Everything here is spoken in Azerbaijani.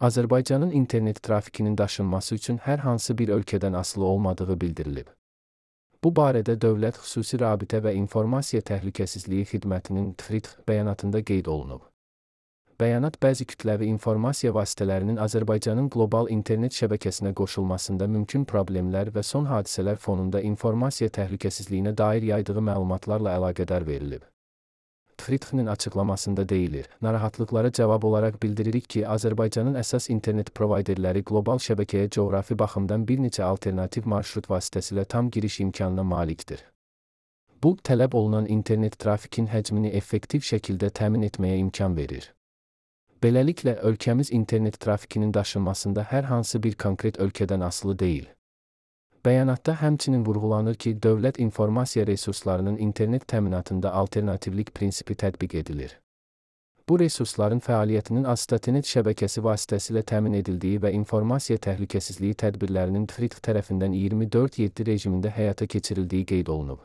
Azərbaycanın internet trafikinin daşınması üçün hər hansı bir ölkədən asılı olmadığı bildirilib. Bu barədə Dövlət Xüsusi Rabitə və İnformasiya Təhlükəsizliyi Xidmətinin TFRİT bəyanatında qeyd olunub. Bəyanat bəzi kütləvi informasiya vasitələrinin Azərbaycanın qlobal internet şəbəkəsinə qoşulmasında mümkün problemlər və son hadisələr fonunda informasiya təhlükəsizliyinə dair yaydığı məlumatlarla əlaqədar verilib. TFRİT-nin açıqlamasında deyilir, narahatlıqlara cavab olaraq bildiririk ki, Azərbaycanın əsas internet provayderləri qlobal şəbəkəyə coğrafi baxımdan bir neçə alternativ marşrut vasitəsilə tam giriş imkanına malikdir. Bu, tələb olunan internet trafikin həcmini effektiv şəkildə təmin etməyə imkan verir. Beləliklə, ölkəmiz internet trafikinin daşınmasında hər hansı bir konkret ölkədən asılı deyil. Bəyanatda həmçinin vurğulanır ki, dövlət informasiya resurslarının internet təminatında alternativlik prinsipi tətbiq edilir. Bu resursların fəaliyyətinin Azstatenet şəbəkəsi vasitəsilə təmin edildiyi və informasiya təhlükəsizliyi tədbirlərinin TFRİT tərəfindən 24/7 rejimində həyata keçirildiyi qeyd olunub.